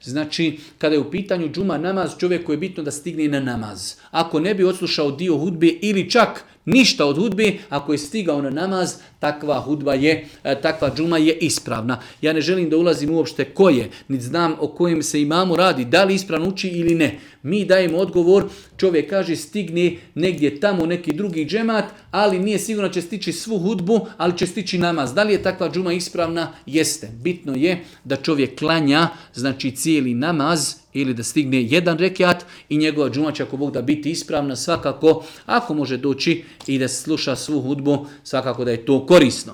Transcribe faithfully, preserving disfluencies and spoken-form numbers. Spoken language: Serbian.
Znači, kada je u pitanju džuma namaz, čovjeku je bitno da stigne na namaz. Ako ne bi odslušao dio hudbe ili čak ništa od hudbe, ako je stigao na namaz, takva hudba je, takva džuma je ispravna. Ja ne želim da ulazim uopšte ko je, niti znam o kojem se imamu radi, da li ispravno uči ili ne. Mi dajemo odgovor, čovjek kaže stigne negdje tamo neki drugi džemat, ali nije sigurno će stići svu hudbu, ali će stići namaz. Da li je takva džuma ispravna? Jeste. Bitno je da čovjek klanja, znači cijeli namaz, ili da stigne jedan rekiat i njegova džuma će ako Bog da biti ispravna svakako, ako može doći i da sluša svu hudbu, svakako da je to korisno.